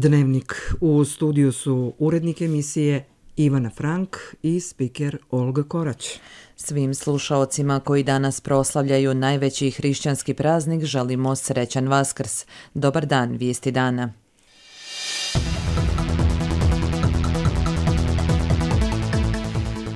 Dnevnik. U studiju su urednik emisije Ivana Frank i spiker Olga Korać. Svim slušaocima koji danas proslavljaju najveći hrišćanski praznik želimo srećan Vaskrs. Dobar dan, vijesti dana.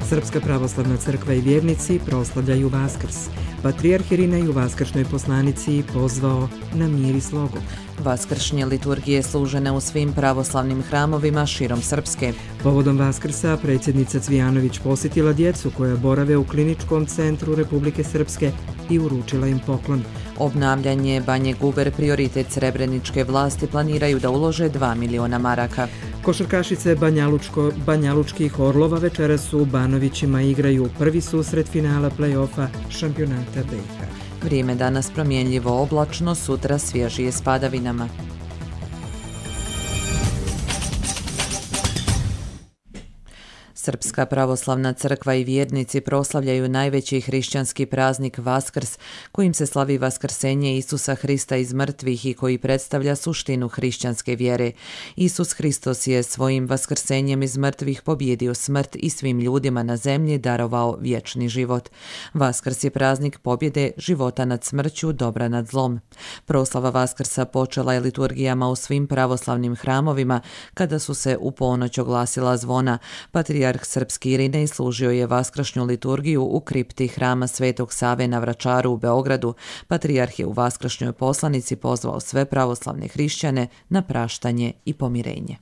Srpska pravoslavna crkva i vjernici proslavljaju Vaskrs. Patrijarh Irinej u vaskršnjoj poslanici pozvao na mir i slogu. Vaskršnje liturgije služene u svim pravoslavnim hramovima širom Srpske. Povodom Vaskrsa predsjednica Cvijanović posjetila djecu koja borave u Kliničkom centru Republike Srpske i uručila im poklon. Obnavljanje Banje Guber prioritet srebreničke vlasti, planiraju da ulože 2 miliona maraka. Košarkašice banjalučkih Orlova večeras su u Banovićima igraju prvi susret finala play-offa šampionata BiH. Vrijeme danas promjenljivo oblačno, sutra svježije s padavinama. Srpska pravoslavna crkva i vjernici proslavljaju najveći hrišćanski praznik Vaskrs, kojim se slavi vaskrsenje Isusa Hrista iz mrtvih i koji predstavlja suštinu hrišćanske vjere. Isus Hristos je svojim vaskrsenjem iz mrtvih pobijedio smrt i svim ljudima na zemlji darovao vječni život. Vaskrs je praznik pobjede, života nad smrću, dobra nad zlom. Proslava Vaskrsa počela je liturgijama u svim pravoslavnim hramovima kada su se u ponoć oglasila zvona. Patrijarh srpski Irinej služio je vaskršnju liturgiju u kripti hrama Svetog Save na Vračaru u Beogradu. Patrijarh je u vaskršnjoj poslanici pozvao sve pravoslavne hrišćane na praštanje i pomirenje.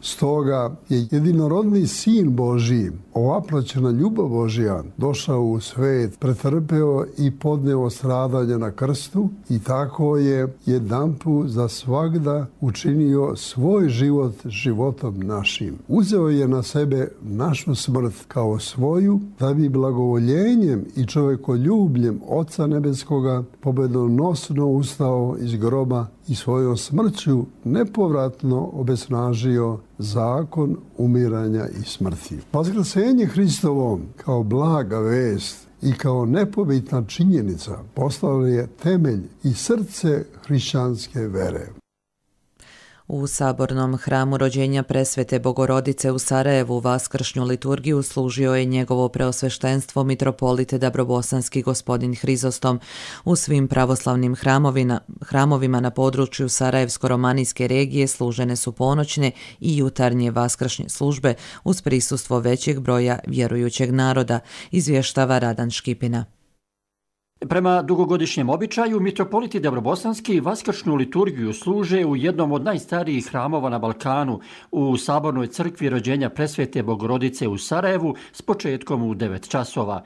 Stoga je jedinorodni Sin Božji, ovaplaćena ljubav Božja, došao u svet, pretrpeo i podneo stradanje na krstu i tako je jedanput za svagda učinio svoj život životom našim. Uzeo je na sebe našu smrt kao svoju, da bi blagovoljenjem i čovekoljubljem Oca Nebeskoga pobjedonosno ustao iz groba i svojom smrću nepovratno obesnažio zakon umiranja i smrti. Vaskrsenje Hristovo kao blaga vest i kao nepobitna činjenica postalo je temelj i srce hrišćanske vere. U Sabornom hramu rođenja Presvete Bogorodice u Sarajevu vaskršnju liturgiju služio je njegovo preosveštenstvo mitropolit Dabrobosanski gospodin Hrizostom. U svim pravoslavnim hramovima na području Sarajevsko-romanijske regije služene su ponoćne i jutarnje vaskršnje službe uz prisustvo većeg broja vjerujućeg naroda, izvještava Radan Škipina. Prema dugogodišnjem običaju, mitropoliti Dabrobosanski vaskršnju liturgiju služe u jednom od najstarijih hramova na Balkanu, u Sabornoj crkvi rođenja Presvete Bogorodice u Sarajevu s početkom u 9 časova.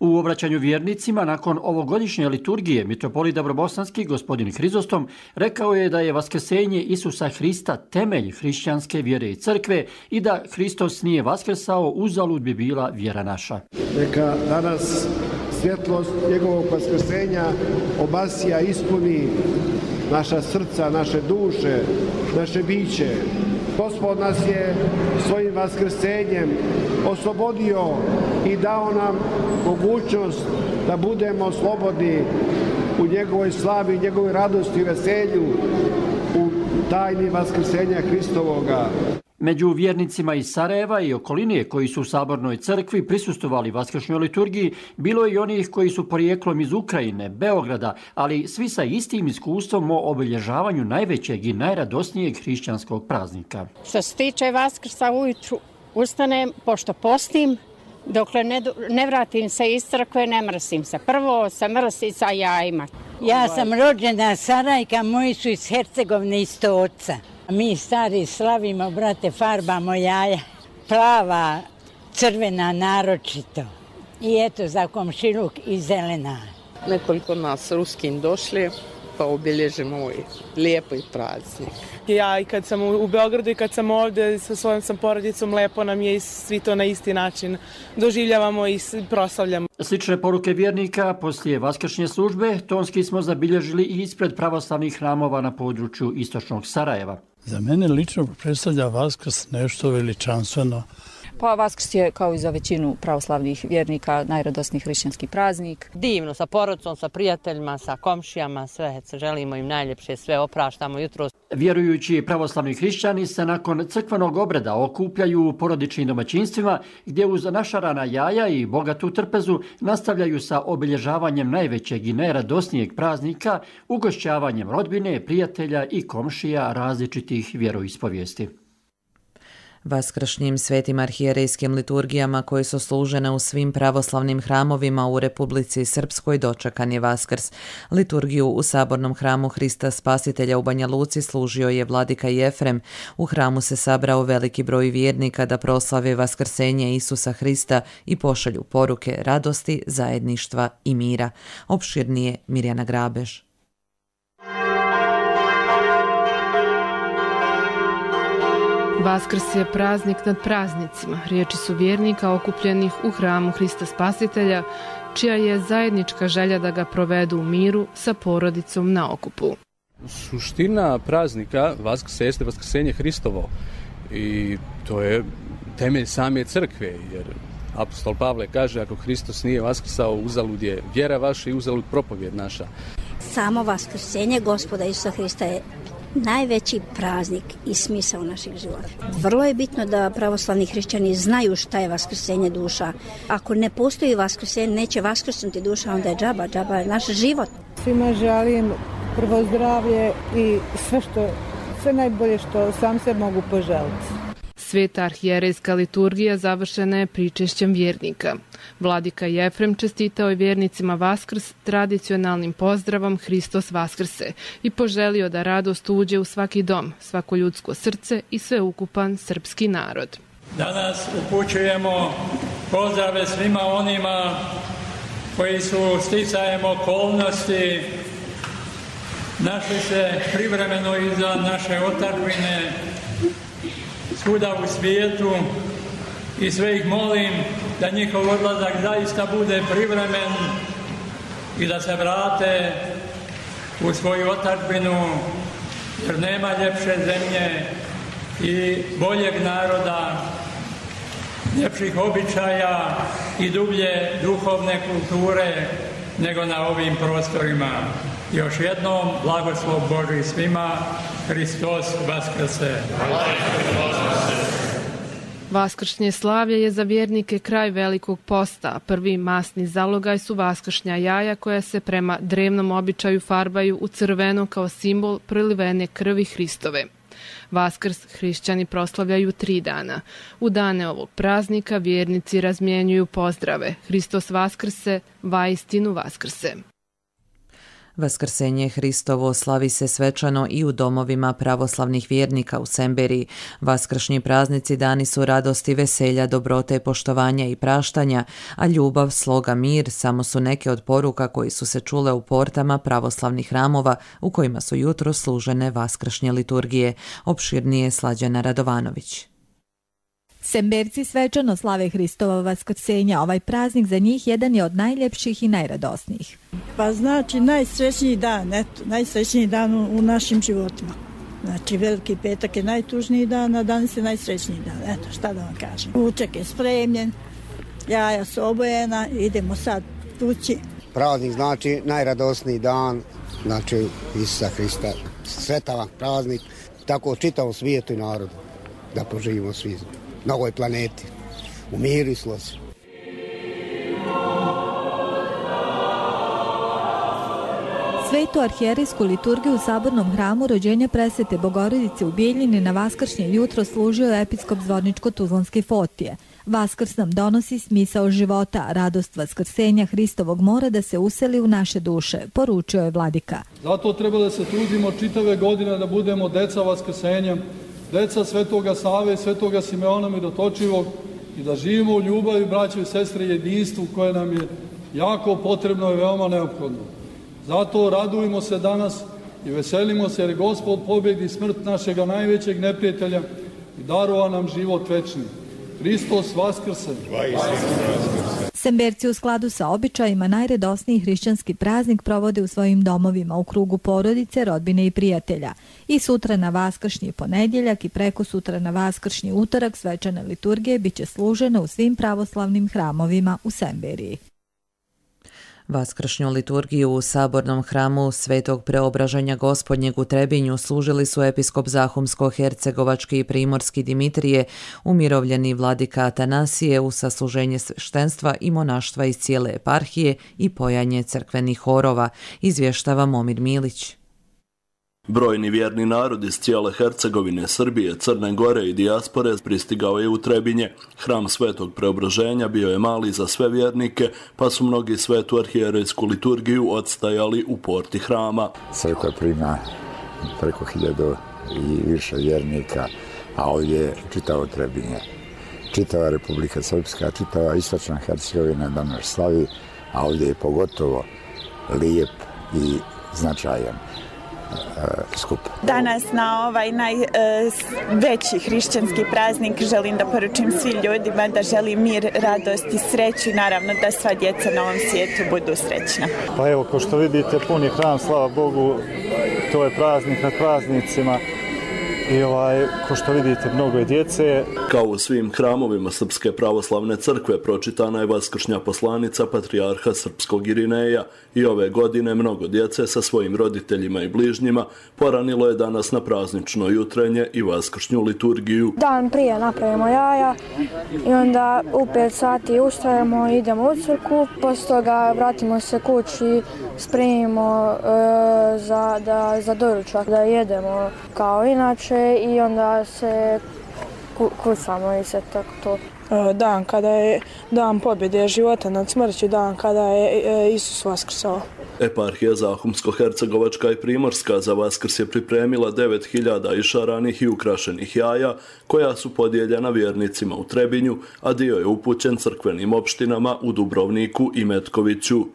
U obraćanju vjernicima nakon ovogodišnje liturgije mitropolit Dabrobosanski gospodin Hrizostom rekao je da je vaskrsenje Isusa Hrista temelj hrišćanske vjere i crkve i da Hristos nije vaskrsao, uzalud bi bila vjera naša. Neka danas svjetlost njegovog vaskrsenja obasja, ispuni naša srca, naše duše, naše biće. Gospod nas je svojim vaskrsenjem oslobodio i dao nam mogućnost da budemo slobodni u njegovoj slavi, njegovoj radosti i veselju, u tajni vaskrsenja Hristovoga. Među vjernicima iz Sarajeva i okoline koji su u Sabornoj crkvi prisustvovali vaskršnjoj liturgiji, bilo je i onih koji su porijeklom iz Ukrajine, Beograda, ali svi sa istim iskustvom o obilježavanju najvećeg i najradosnijeg hrišćanskog praznika. Što se tiče Vaskrsa, ujutru ustanem, pošto postim, dokle ne vratim se iz crkve, ne mrsim se. Prvo se mrsi sa jajima. Ja sam rođena Sarajka, moji su iz Hercegovine, iz Stoca. Mi stari slavimo, brate, farbamo jaja, plava, crvena naročito i eto za komšiluk i zelena. Nekoliko nas ruskim došli pa obilježimo ovaj lijepo i praznik. Ja i kad sam u Beogradu i kad sam ovdje sa svojom porodicom, lepo nam je i svi to na isti način doživljavamo i proslavljamo. Slične poruke vjernika poslije vaskršnje službe tonski smo zabilježili i ispred pravoslavnih hramova na području istočnog Sarajeva. Za mene lično predstavlja Vaskrs nešto veličanstveno. Pa Vaskrs je, kao i za većinu pravoslavnih vjernika, najradosniji hrišćanski praznik. Divno, sa porodicom, sa prijateljima, sa komšijama, sve želimo im najljepše, sve opraštamo jutros. Vjerujući pravoslavni hrišćani se nakon crkvenog obreda okupljaju u porodičnim domaćinstvima gdje uz našarana jaja i bogatu trpezu nastavljaju sa obilježavanjem najvećeg i najradosnijeg praznika, ugošćavanjem rodbine, prijatelja i komšija različitih vjeroispovijesti. Vaskršnjim svetim arhijerejskim liturgijama koje su služene u svim pravoslavnim hramovima u Republici Srpskoj dočekan je Vaskrs. Liturgiju u Sabornom hramu Hrista Spasitelja u Banja Luci služio je vladika Jefrem. U hramu se sabrao veliki broj vjernika da proslave vaskrsenje Isusa Hrista i pošalju poruke radosti, zajedništva i mira. Opširnije Mirjana Grabež. Vaskrs je praznik nad praznicima. Riječi su vjernika okupljenih u hramu Hrista Spasitelja, čija je zajednička želja da ga provedu u miru sa porodicom na okupu. Suština praznika Vaskrsa jeste vaskrsenje Hristovo i to je temelj same crkve, jer apostol Pavle kaže ako Hristos nije vaskrsao, uzalud je vjera vaša i uzalud propovjed naša. Samo vaskrsenje Gospoda Isusa Hrista je najveći praznik i smisao naših života. Vrlo je bitno da pravoslavni hrišćani znaju šta je vaskrsenje duša. Ako ne postoji vaskrsenje, neće vaskrsnuti duša, onda je džaba je naš život. Svima želim prvo zdravlje i sve najbolje što sam se mogu poželiti. Sveta arhijerejska liturgija završena je pričešćem vjernika. Vladika Jefrem čestitao je vjernicima Vaskrs tradicionalnim pozdravom Hristos Vaskrse i poželio da radost uđe u svaki dom, svako ljudsko srce i sveukupan srpski narod. Danas upućujemo pozdrave svima onima koji su sticajem okolnosti našli se privremeno iza naše otadžbine svuda u svijetu i sve ih molim da njihov odlazak zaista bude privremen i da se vrate u svoju otadžbinu, jer nema ljepše zemlje i boljeg naroda, ljepših običaja i dublje duhovne kulture nego na ovim prostorima. Još jednom blagoslov Božji svima, Hristos Vaskrse. Vaskršnje slavlje je za vjernike kraj Velikog posta. Prvi masni zalogaj su vaskršnja jaja koja se prema drevnom običaju farbaju u crveno kao simbol prelivene krvi Hristove. Vaskrs hrišćani proslavljaju 3 dana. U dane ovog praznika vjernici razmjenjuju pozdrave. Hristos Vaskrse, vaistinu Vaskrse. Vaskrsenje Hristovo slavi se svečano i u domovima pravoslavnih vjernika u Semberiji. Vaskršnji praznici dani su radosti, veselja, dobrote, poštovanja i praštanja, a ljubav, sloga, mir samo su neke od poruka koji su se čule u portama pravoslavnih hramova u kojima su jutro služene vaskršnje liturgije. Opširnije Slađana Radovanović. Semberci svečano slave Hristova vaskrsenja. Ovaj praznik za njih jedan je od najljepših i najradosnijih. Pa znači najsrećniji dan u našim životima. Znači Veliki petak je najtužniji dan, a danas je najsrećniji dan. Eto, šta da vam kažem. Ručak je spremljen, jaja su obojena, idemo sad tući. Praznik znači najradosniji dan, znači Isusa Hrista. Svetavan praznik, tako čitavom svijetu i narodu, da poživimo svi na ovoj planeti, u miru i slozi. Svetu arhijerejsku liturgiju u Sabornom hramu rođenja presvete Bogorodice u Bijeljini na vaskršnje jutro služio je episkop Zvorničko-Tuzlanske Fotije. Vaskrs nam donosi smisao života, radost vaskrsenja Hristovog mora da se useli u naše duše, poručio je vladika. Zato treba da se trudimo čitave godine da budemo deca vaskrsenja, deca Svetoga Save i Svetoga Simeona Mirotočivog i da živimo u ljubavi, braćo i sestre, jedinstvu koje nam je jako potrebno i veoma neophodno. Zato radujemo se danas i veselimo se jer Gospod pobjedi smrt našega najvećeg neprijatelja i darova nam život večni. Hristos Vaskrse! Semberci u skladu sa običajima najradosniji hrišćanski praznik provode u svojim domovima u krugu porodice, rodbine i prijatelja. I sutra na vaskršnji ponedjeljak i preko sutra na vaskršnji utorak svečane liturgije biće služene u svim pravoslavnim hramovima u Semberiji. Vaskršnju liturgiju u sabornom hramu Svetog Preobraženja Gospodnjeg u Trebinju služili su episkop Zahumsko-hercegovački i primorski Dimitrije, umirovljeni vladika Atanasije uz sasluženje sveštenstva i monaštva iz cijele eparhije i pojanje crkvenih horova, izvještava Momir Milić. Brojni vjerni narod iz cijele Hercegovine, Srbije, Crne Gore i dijaspore pristigao je u Trebinje. Hram Svetog Preobraženja bio je mali za sve vjernike, pa su mnogi svetu arhijerejsku liturgiju odstajali u porti hrama. Crkva prima preko 1000 i više vjernika, a ovdje je čitavo Trebinje. Čitava Republika Srpska, čitava istočna Hercegovina danas slavi, a ovdje je pogotovo lijep i značajan skup. Danas na ovaj najveći hrišćanski praznik želim da poručim svim ljudima da želim mir, radost i sreću i naravno da sva djeca na ovom svijetu budu srećna. Pa evo, kao što vidite, puni hram, slava Bogu, to je praznik nad praznicima. I ko što vidite, mnogo je djece. Kao u svim hramovima Srpske pravoslavne crkve pročitana je vaskršnja poslanica patrijarha Srpskog Irineja i ove godine mnogo djece sa svojim roditeljima i bližnjima poranilo je danas na praznično jutrenje i vaskršnju liturgiju. Dan prije napravimo jaja i onda u 5 sati ustajemo i idemo u crkvu, poslije toga vratimo se kući, spremimo za doručak da jedemo kao inače i onda se kucamo i sve tako to. Dan kada je dan pobjede života nad smrću, dan kada je Isus vaskrsao. Eparhija Zahumsko-hercegovačka i primorska za Vaskrs je pripremila 9000 išaranih i ukrašenih jaja, koja su podijeljena vjernicima u Trebinju, a dio je upućen crkvenim opštinama u Dubrovniku i Metkoviću.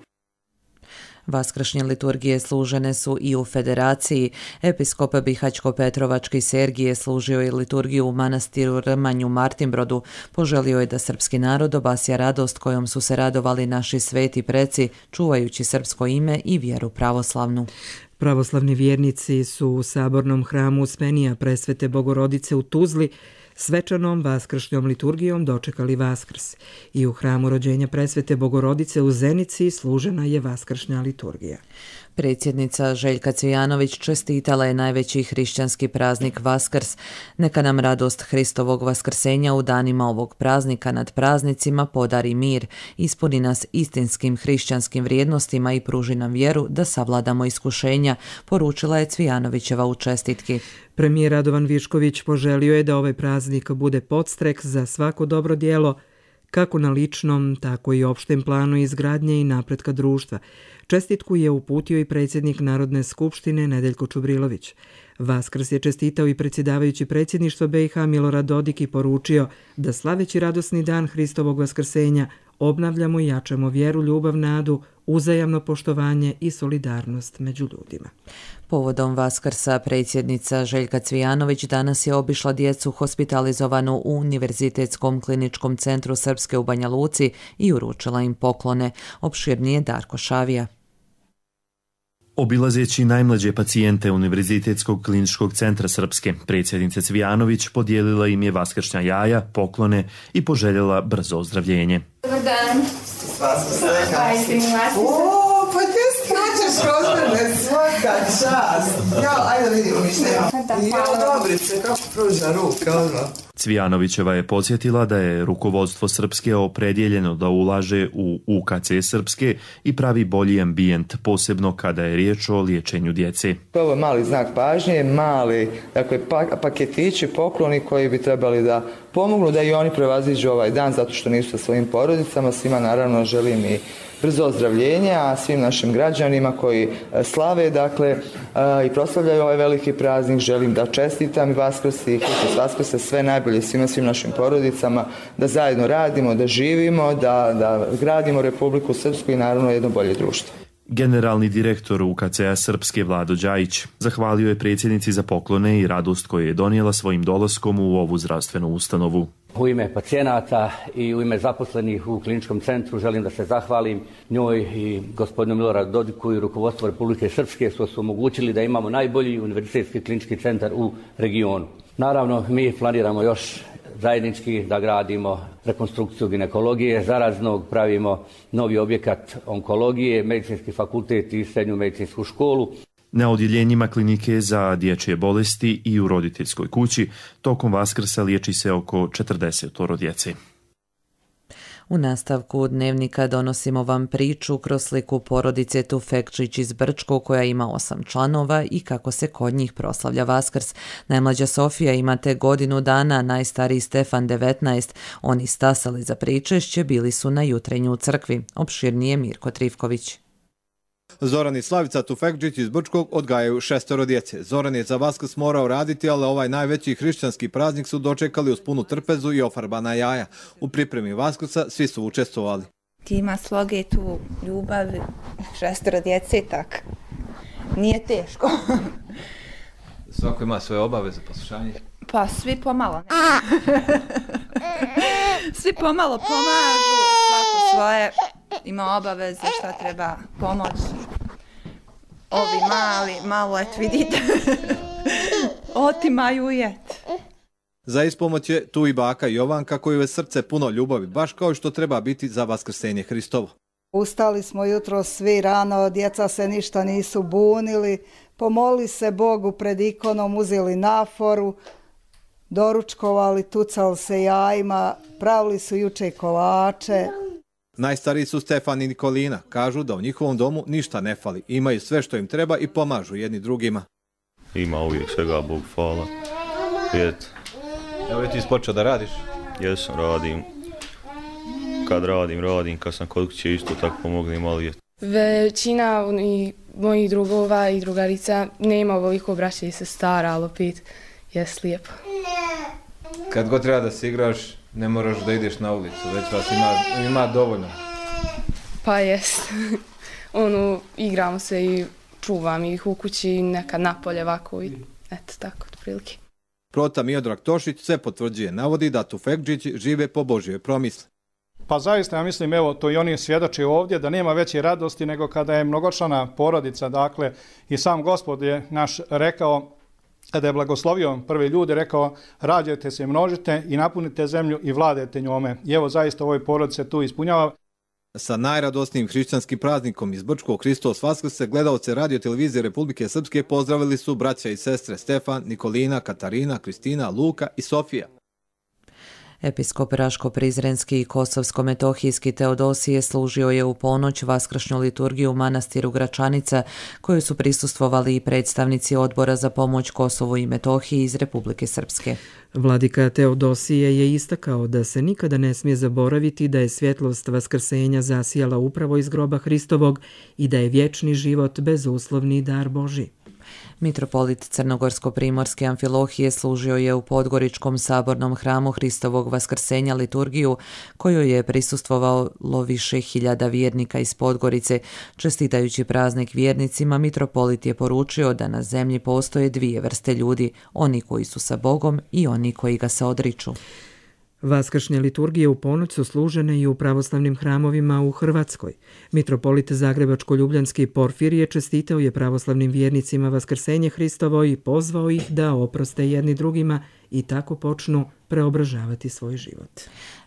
Vaskršnje liturgije služene su i u Federaciji. Episkop Bihaćko-Petrovački Sergije služio je liturgiju u manastiru Rmanju Martinbrodu. Poželio je da srpski narod obasja radost kojom su se radovali naši sveti preci, čuvajući srpsko ime i vjeru pravoslavnu. Pravoslavni vjernici su u sabornom hramu Uspenija Presvete Bogorodice u Tuzli svečanom vaskršnjom liturgijom dočekali Vaskrs i u hramu rođenja Presvete Bogorodice u Zenici služena je vaskršnja liturgija. Predsjednica Željka Cvijanović čestitala je najveći hrišćanski praznik Vaskrs. Neka nam radost Hristovog vaskrsenja u danima ovog praznika nad praznicima podari mir, ispuni nas istinskim hrišćanskim vrijednostima i pruži nam vjeru da savladamo iskušenja, poručila je Cvijanovićeva u čestitki. Premijer Radovan Višković poželio je da ovaj praznik bude podstrek za svako dobro djelo, kako na ličnom, tako i opštem planu izgradnje i napretka društva. Čestitku je uputio i predsjednik Narodne skupštine Nedeljko Čubrilović. Vaskrs je čestitao i predsjedavajući predsjedništva BiH Milorad Dodik i poručio da slaveći radosni dan Hristovog vaskrsenja obnavljamo i jačamo vjeru, ljubav, nadu, uzajamno poštovanje i solidarnost među ljudima. Povodom Vaskrsa predsjednica Željka Cvijanović danas je obišla djecu hospitalizovanu u Univerzitetskom kliničkom centru Srpske u Banja Luci i uručila im poklone. Opširnije Darko Šavija. Obilazeći najmlađe pacijente Univerzitetskog kliničkog centra Srpske, predsjednica Cvijanović podijelila im je vaskršnja jaja, poklone i poželjela brzo ozdravljenje. Dobar dan. Pa ti skačeš kod mene, svaka čast. Ajde vidimo ništa. Dobrice, kako pruža ruka, ono. Cvijanovićeva je podsjetila da je rukovodstvo Srpske opredjeljeno da ulaže u UKC Srpske i pravi bolji ambijent, posebno kada je riječ o liječenju djece. Ovo je mali znak pažnje, mali paketići, pokloni koji bi trebali da pomognu da i oni prevaziđu ovaj dan zato što nisu sa svojim porodicama. Svima naravno želim i brzo ozdravljenje, a svim našim građanima koji slave i proslavljaju ovaj veliki praznik želim da čestitam i Vaskrs i Hristos Vaskrse sve najbolje svim našim porodicama, da zajedno radimo, da živimo, da gradimo Republiku Srpsku i naravno jedno bolje društvo. Generalni direktor UKC-a Srpske Vlado Đajić zahvalio je predsjednici za poklone i radost koju je donijela svojim dolaskom u ovu zdravstvenu ustanovu. U ime pacijenata i u ime zaposlenih u kliničkom centru želim da se zahvalim njoj i gospodinu Miloradu Dodiku i rukovodstvu Republike Srpske što su omogućili da imamo najbolji univerzitetski klinički centar u regionu. Naravno, mi planiramo još zajednički da gradimo rekonstrukciju ginekologije zaraznog, pravimo novi objekat onkologije, medicinski fakultet i srednju medicinsku školu. Na odjeljenjima klinike za dječje bolesti i u roditeljskoj kući tokom Vaskrsa liječi se oko 40 djece. U nastavku dnevnika donosimo vam priču kroz sliku porodice Tufekčić iz Brčko koja ima 8 članova i kako se kod njih proslavlja Vaskrs. Najmlađa Sofija ima tek godinu dana, najstariji Stefan 19. Oni stasali za pričešće, bili su na jutrenju u crkvi. Opširnije Mirko Trivković. Zoran i Slavica Tufekčić iz Brčkog odgajaju 6 djece. Zoran je za Vaskrs morao raditi, ali ovaj najveći hrišćanski praznik su dočekali uz punu trpezu i ofarbana jaja. U pripremi Vaskrsa svi su učestvovali. Ima sloge tu ljubav, 6 djece, tak. Nije teško. Svako ima svoje obaveze, poslušanje? Pa svi pomalo. Svi pomalo pomažu, svako svoje ima obaveze, šta treba pomoć. Ovi mali, malo, et vidite, otimaju jet. Za ispomoć je tu i baka Jovanka koju je srce puno ljubavi, baš kao što treba biti za Vaskrsenje Hristovo. Ustali smo jutro svi rano, djeca se ništa nisu bunili, pomoli se Bogu pred ikonom, uzeli naforu, doručkovali, tucali se jajima, pravili su juče kolače. Najstariji su Stefan i Nikolina. Kažu da u njihovom domu ništa ne fali. Imaju sve što im treba i pomažu jedni drugima. Ima uvijek svega, Bog hvala. Evo je ti ispočeo da radiš? Jesam, radim. Kad radim. Kad sam kod kuće isto tako pomognem, ali većina mojih drugova i drugarica nema ovoliko braće i sestara, ali opet je lijepo. Kad god treba da se igraš, ne moraš da ideš na ulicu, već vas ima dovoljno. Pa jest. Igramo se i čuvam ih u kući, nekad napolje ovako i eto tako, otprilike. Prota Miodrag Tošić sve potvrđuje, navodi da Tufekčići žive po Božjoj promisli. Pa zaista ja mislim, evo, to i oni svjedoče ovdje, da nema veće radosti nego kada je mnogočlana porodica, dakle, i sam Gospod je naš rekao, kada je blagoslovio prve ljude, rekao, rađajte se, množite i napunite zemlju i vladajte njome. I evo, zaista ovoj porodice tu ispunjava. Sa najradosnijim hrišćanskim praznikom iz Brčkog Hristos Vaskrse gledalce Radio televizije Republike Srpske pozdravili su braća i sestre Stefan, Nikolina, Katarina, Kristina, Luka i Sofija. Episkop Raško-Prizrenski i Kosovsko-Metohijski Teodosije služio je u ponoć vaskršnju liturgiju u manastiru Gračanica, koju su prisustvovali i predstavnici Odbora za pomoć Kosovu i Metohiji iz Republike Srpske. Vladika Teodosije je istakao da se nikada ne smije zaboraviti da je svjetlost vaskrsenja zasijala upravo iz groba Hristovog i da je vječni život bezuslovni dar Božji. Mitropolit Crnogorsko-primorske Amfilohije služio je u Podgoričkom sabornom hramu Hristovog vaskrsenja liturgiju, kojoj je prisustvovalo više hiljada vjernika iz Podgorice. Čestitajući praznik vjernicima, mitropolit je poručio da na zemlji postoje dvije vrste ljudi, oni koji su sa Bogom i oni koji ga se odriču. Vaskršnje liturgije u ponoć su služene i u pravoslavnim hramovima u Hrvatskoj. Mitropolit Zagrebačko-Ljubljanski Porfirije čestitao je pravoslavnim vjernicima Vaskrsenje Hristovo i pozvao ih da oproste jedni drugima i tako počnu preobražavati svoj život.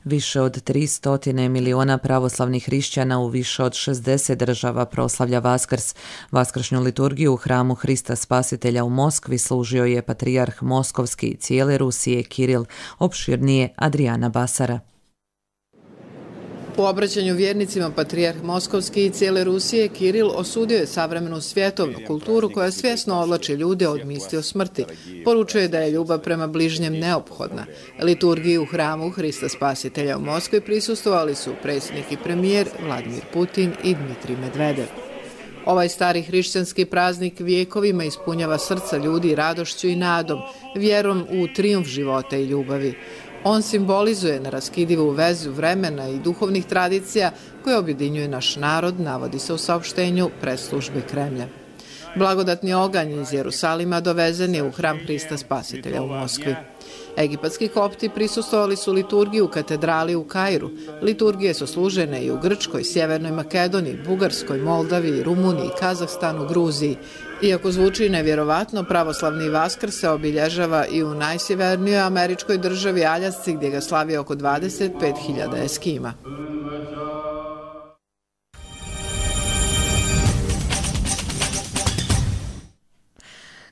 Više od 300 miliona pravoslavnih hrišćana u više od 60 država proslavlja Vaskrs. Vaskršnju liturgiju u hramu Hrista Spasitelja u Moskvi služio je patrijarh Moskovski i cijele Rusije Kiril, opširnije Adriana Basara. U obraćanju vjernicima patrijarh Moskovski i cijele Rusije Kiril osudio je savremenu svjetovnu kulturu koja svjesno odlači ljude od misli o smrti. Poručuje da je ljubav prema bližnjem neophodna. Liturgiji u hramu Hrista Spasitelja u Moskvi prisustvovali su predsjednik i premijer Vladimir Putin i Dmitrij Medvedev. Ovaj stari hrišćanski praznik vijekovima ispunjava srca ljudi radošću i nadom, vjerom u trijumf života i ljubavi. On simbolizuje neraskidivu vezu vremena i duhovnih tradicija koje objedinjuje naš narod, navodi se u saopštenju presslužbe Kremlja. Blagodatni oganj iz Jerusalima dovezen je u hram Hrista Spasitelja u Moskvi. Egipatski kopti prisustvovali su liturgiji u katedrali u Kairu. Liturgije su služene i u Grčkoj, Sjevernoj Makedoniji, Bugarskoj, Moldaviji, Rumuniji, Kazahstanu, Gruziji. Iako zvuči nevjerovatno, pravoslavni Vaskrs se obilježava i u najsjevernijoj američkoj državi Aljasci, gdje ga slavi oko 25.000 Eskima.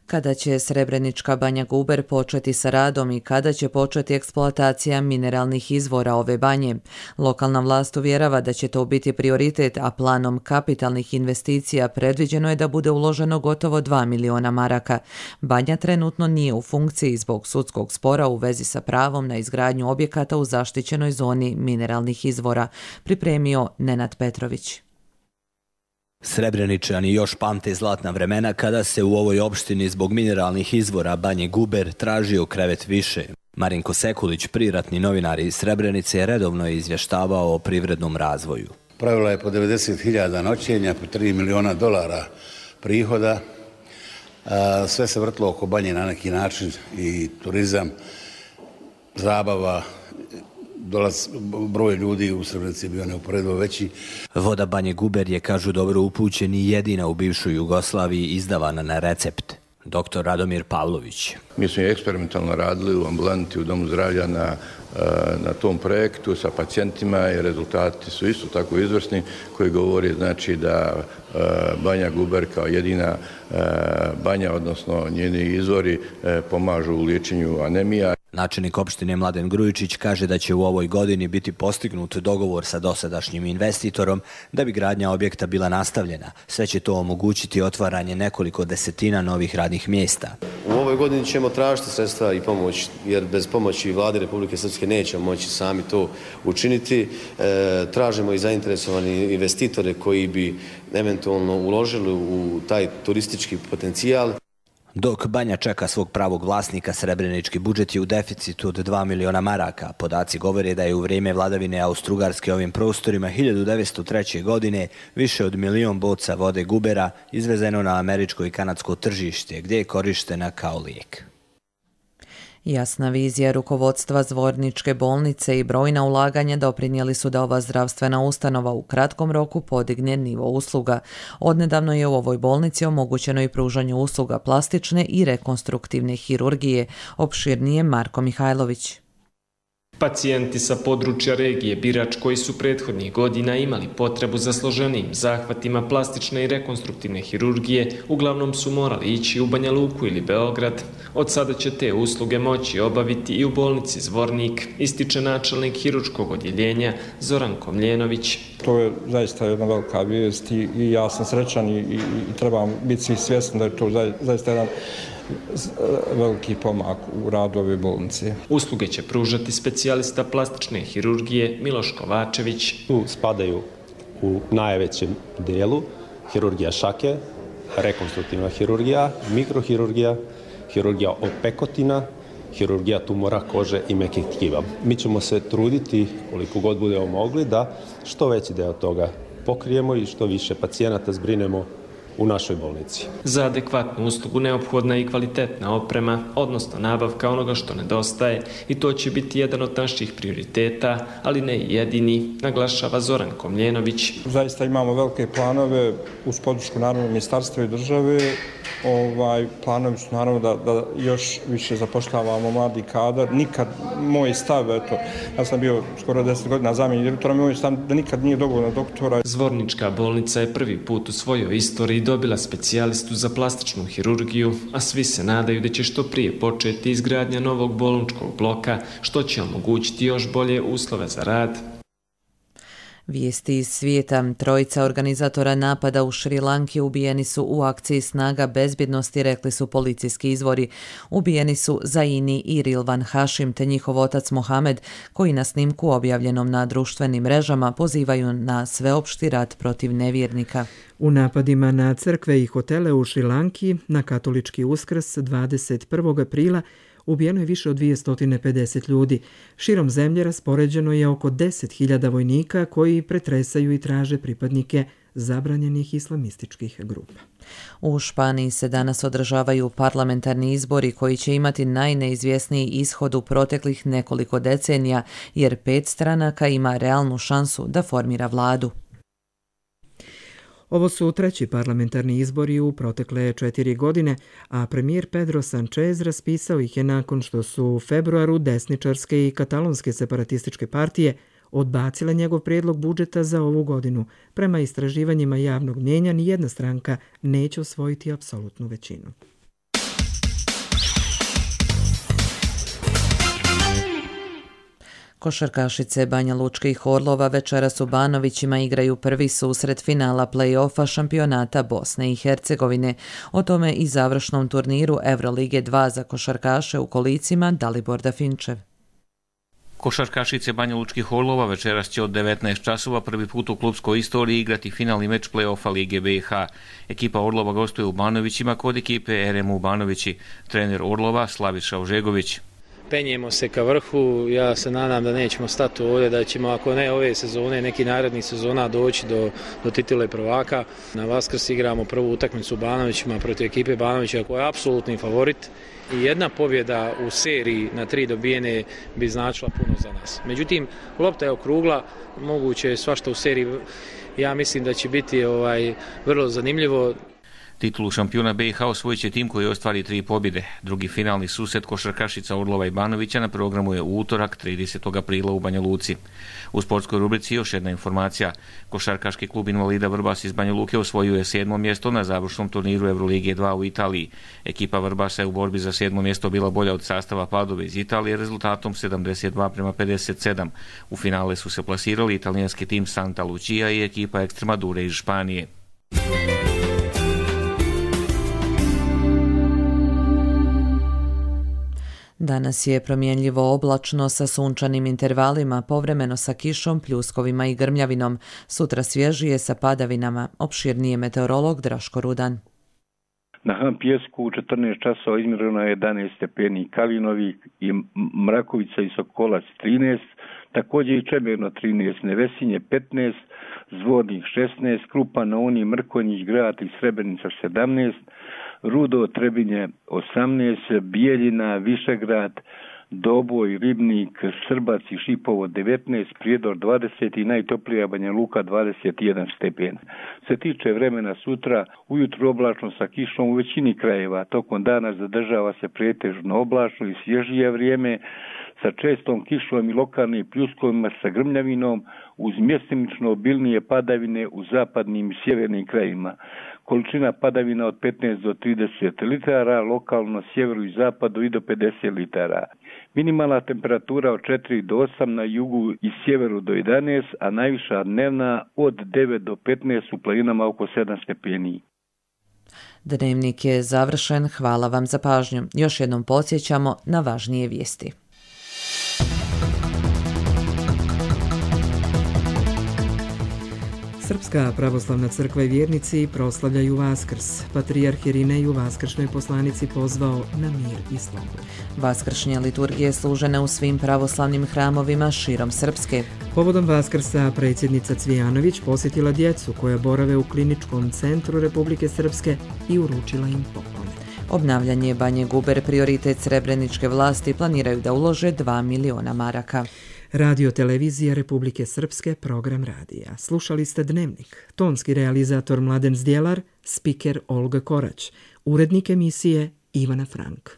Kada će Srebrenička Banja Guber početi sa radom i kada će početi eksploatacija mineralnih izvora ove banje? Lokalna vlast uvjerava da će to biti prioritet, a planom kapitalnih investicija predviđeno je da bude uloženo gotovo 2 miliona maraka. Banja trenutno nije u funkciji zbog sudskog spora u vezi sa pravom na izgradnju objekata u zaštićenoj zoni mineralnih izvora, pripremio Nenad Petrović. Srebreničani još pamte zlatna vremena kada se u ovoj opštini zbog mineralnih izvora Banje Guber tražio krevet više. Marinko Sekulić, priratni novinar iz Srebrenice, redovno je izvještavao o privrednom razvoju. Pravila je po 90.000 noćenja, po $3 miliona prihoda. Sve se vrtlo oko Banje na neki način, i turizam, zabava, broj ljudi u Srebrenici je bio neuporedivo veći. Voda Banje Guber je, kažu dobro upućeni, jedina u bivšoj Jugoslaviji izdavana na recept. Dr. Radomir Pavlović. Mi smo eksperimentalno radili u ambulanti u Domu zdravlja na tom projektu sa pacijentima i rezultati su isto tako izvrsni, koji govori znači da Banja Guber kao jedina banja, odnosno njeni izvori, pomažu u liječenju anemija. Načelnik opštine Mladen Grujičić kaže da će u ovoj godini biti postignut dogovor sa dosadašnjim investitorom da bi gradnja objekta bila nastavljena. Sve će to omogućiti otvaranje nekoliko desetina novih radnih mjesta. U ovoj godini ćemo tražiti sredstva i pomoć, jer bez pomoći Vlade Republike Srpske nećemo moći sami to učiniti. Tražimo i zainteresovani investitore koji bi eventualno uložili u taj turistički potencijal. Dok Banja čeka svog pravog vlasnika, srebrenički budžet je u deficitu od 2 miliona maraka. Podaci govore da je u vrijeme vladavine Austro-Ugarske ovim prostorima 1903. godine više od 1 milion boca vode Gubera izvezeno na američko i kanadsko tržište, gdje je korištena kao lijek. Jasna vizija rukovodstva Zvorničke bolnice i brojna ulaganja doprinijeli su da ova zdravstvena ustanova u kratkom roku podigne nivo usluga. Odnedavno je u ovoj bolnici omogućeno i pružanje usluga plastične i rekonstruktivne hirurgije, opširnije Marko Mihajlović. Pacijenti sa područja regije Birač koji su prethodnih godina imali potrebu za složenijim zahvatima plastične i rekonstruktivne hirurgije uglavnom su morali ići u Banja Luku ili Beograd. Od sada će te usluge moći obaviti i u bolnici Zvornik, ističe načelnik hirurškog odjeljenja Zoran Komljenović. To je zaista jedna velika vijest i ja sam srećan i trebam biti svi svjesni da je to zaista jedan veliki pomak u radu ove bolnice. Usluge će pružati specijalista plastične hirurgije Miloš Kovačević. Tu spadaju u najvećem dijelu hirurgija šake, rekonstruktivna hirurgija, mikrohirurgija, hirurgija opekotina, hirurgija tumora kože i mekih tkiva. Mi ćemo se truditi koliko god budemo mogli da što veći deo toga pokrijemo i što više pacijenata zbrinemo u našoj bolnici. Za adekvatnu uslugu neophodna je i kvalitetna oprema, odnosno nabavka onoga što nedostaje, i to će biti jedan od naših prioriteta, ali ne i jedini, naglašava Zoran Komljenović. Zaista imamo velike planove uz podršku naravno ministarstva i države. Planovi su naravno da još više zapošljavamo mladi kadar. Nikad moj stav, ja sam bio skoro 10 godina zamjenik direktora, moj stav da nikad nije dovoljno doktora. Zvornička bolnica je prvi put u svojoj istoriji dobila specijalistu za plastičnu hirurgiju, a svi se nadaju da će što prije početi izgradnja novog bolničkog bloka, što će omogućiti još bolje uslove za rad. Vijesti iz svijeta. Trojica organizatora napada u Šri Lanki ubijeni su u akciji snaga bezbjednosti, rekli su policijski izvori. Ubijeni su Zaini i Rilvan Hašim te njihov otac Mohamed, koji na snimku objavljenom na društvenim mrežama pozivaju na sveopšti rat protiv nevjernika. U napadima na crkve i hotele u Šri Lanki na katolički Uskrs 21. aprila ubijeno je više od 250 ljudi. Širom zemlje raspoređeno je oko 10.000 vojnika koji pretresaju i traže pripadnike zabranjenih islamističkih grupa. U Španiji se danas održavaju parlamentarni izbori koji će imati najneizvjesniji ishod u proteklih nekoliko decenija, jer 5 stranaka ima realnu šansu da formira vladu. Ovo su treći parlamentarni izbori u protekle 4 godine, a premijer Pedro Sanchez raspisao ih je nakon što su u februaru desničarske i katalonske separatističke partije odbacile njegov prijedlog budžeta za ovu godinu. Prema istraživanjima javnog mnijenja, nijedna stranka neće osvojiti apsolutnu većinu. Košarkašice Banja Lučke i Orlova večeras u Banovićima igraju prvi susret finala play-offa šampionata Bosne i Hercegovine. O tome i završnom turniru Evrolige 2 za košarkaše u kolicima Dalibor Dafinčev. Košarkašice Banja Lučkih Orlova večeras će od 19 časova prvi put u klubskoj istoriji igrati finalni meč play-offa Lige BiH. Ekipa Orlova gostuje u Banovićima kod ekipe RMU Banovići. Trener Orlova Slaviša Ožegović. Penjemo se ka vrhu, ja se nadam da nećemo stati ovdje, da ćemo ako ne ove sezone, neki narednih sezona doći do titule prvaka. Na Vaskrs igramo prvu utakmicu u Banovićima protiv ekipe Banovića koja je apsolutni favorit i jedna pobjeda u seriji na 3 dobijene bi značila puno za nas. Međutim, lopta je okrugla, moguće je svašta u seriji, ja mislim da će biti vrlo zanimljivo. Titulu šampiona BiH osvojit će tim koji ostvari 3 pobjede. Drugi finalni susret košarkašica Orlova i Banovića na programu je u utorak 30. aprila u Banja Luci. U sportskoj rubrici još jedna informacija. Košarkaški klub invalida Vrbas iz Banja Luke osvojio je 7. mjesto na završnom turniru Evrolige 2 u Italiji. Ekipa Vrbasa je u borbi za 7. mjesto bila bolja od sastava Padove iz Italije rezultatom 72:57. U finale su se plasirali italijanski tim Santa Lucia i ekipa Extremadure iz Španije. Danas je promjenljivo oblačno sa sunčanim intervalima, povremeno sa kišom, pljuskovima i grmljavinom. Sutra svježije sa padavinama. Opširnije meteorolog Draško Rudan. Na Han Pjesku u 14 časova izmjereno je 11 stepeni, Kalinovi i Mrakovica i Sokolac 13, također i Čemerno 13, Nevesinje 15, Zvornik 16, Krupan, Oni, Mrkonjić, Grad i Srebrenica 17, Rudo, Trebinje 18, Bijeljina, Višegrad, Doboj, Ribnik, Srbac i Šipovo 19, Prijedor 20 i najtoplija Banja Luka 21 stepen. Se tiče vremena sutra, ujutro oblačno sa kišom u većini krajeva, tokom dana zadržava se pretežno oblačno i svježije vrijeme sa čestom kišom i lokalnim pljuskovima sa grmljavinom uz mjestimično obilnije padavine u zapadnim i sjevernim krajevima. Količina padavina od 15 do 30 litara, lokalno sjeveru i zapadu i do 50 litara. Minimalna temperatura od 4 do 8 na jugu i sjeveru do 11, a najviša dnevna od 9 do 15 u planinama oko 7 stepeni. Dnevnik je završen, hvala vam za pažnju. Još jednom podsjećamo na važnije vijesti. Srpska pravoslavna crkva i vjernici proslavljaju Vaskrs. Patrijarh Irinej u vaskršnjoj poslanici pozvao na mir i slobodu. Vaskršnje liturgije služene u svim pravoslavnim hramovima širom Srpske. Povodom Vaskrsa predsjednica Cvijanović posjetila djecu koja borave u kliničkom centru Republike Srpske i uručila im poklone. Obnavljanje Banje Guber prioritet srebreničke vlasti, planiraju da ulože 2 miliona maraka. Radio televizija Republike Srpske, program radija. Slušali ste Dnevnik. Tonski realizator Mladen Zdjelar, spiker Olga Korać, urednik emisije Ivana Frank.